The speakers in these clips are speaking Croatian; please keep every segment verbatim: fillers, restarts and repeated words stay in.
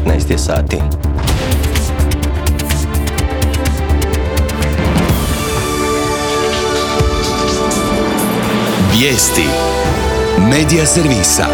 petnaest je sati. Vijesti Medija servisa.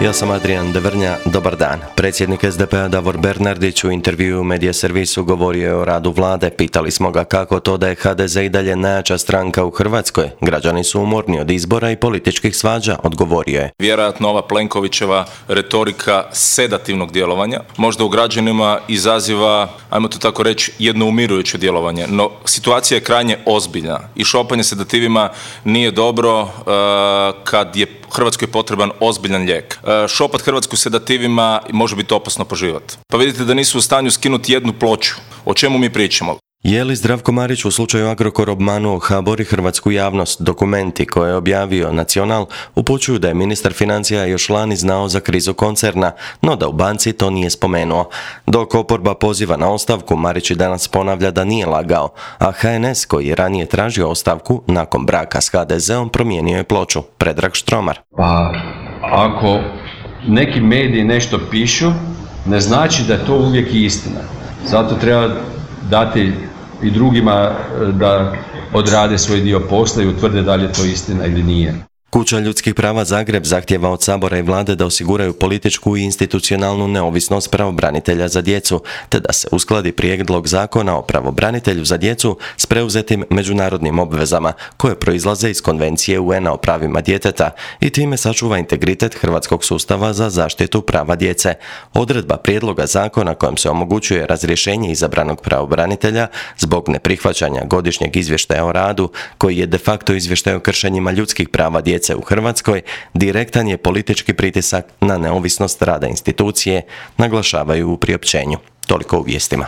Ja sam Adrian Devrnja, dobar dan. Predsjednik es de pe-a Davor Bernardić u intervjuu Medija servisu govorio je o radu vlade. Pitali smo ga kako to da je ha de ze i dalje najjača stranka u Hrvatskoj. Građani su umorni od izbora i političkih svađa, odgovorio je. Vjerojatno ova Plenkovićeva retorika sedativnog djelovanja možda u građanima izaziva, ajmo to tako reći, jedno umirujuće djelovanje. No, situacija je krajnje ozbiljna i šopanje sedativima nije dobro uh, kad je Hrvatskoj potreban ozbiljan lijek. Uh, šopat Hrvatsku sedativima može biti opasno po život. Pa vidite da nisu u stanju skinuti jednu ploču. O čemu mi pričamo? Je li Zdravko Marić u slučaju Agrokor obmanuo ha bo er i hrvatsku javnost? Dokumenti koje je objavio Nacional upućuju da je ministar financija još lani znao za krizu koncerna, no da u banci to nije spomenuo. Dok oporba poziva na ostavku, Marić i danas ponavlja da nije lagao, a ha en es, koji je ranije tražio ostavku nakon braka s ha de zeom, promijenio je ploču. Predrag Štromar. Pa, ako neki mediji nešto pišu, ne znači da je to uvijek istina. Zato treba dati i drugima da odrade svoj dio posla i utvrde da li je to istina ili nije. Kuća ljudskih prava Zagreb zahtijeva od Sabora i vlade da osiguraju političku i institucionalnu neovisnost pravobranitelja za djecu, te da se uskladi prijedlog zakona o pravobranitelju za djecu s preuzetim međunarodnim obvezama koje proizlaze iz Konvencije u en a o pravima djeteta i time sačuva integritet hrvatskog sustava za zaštitu prava djece. Odredba prijedloga zakona kojom se omogućuje razrješenje izabranog pravobranitelja zbog neprihvaćanja godišnjeg izvještaja o radu, koji je de facto izvještaj o kršenjima ljudskih prava djece u Hrvatskoj, direktan je politički pritisak na neovisnost rada institucije, naglašavaju u priopćenju. Toliko u vijestima.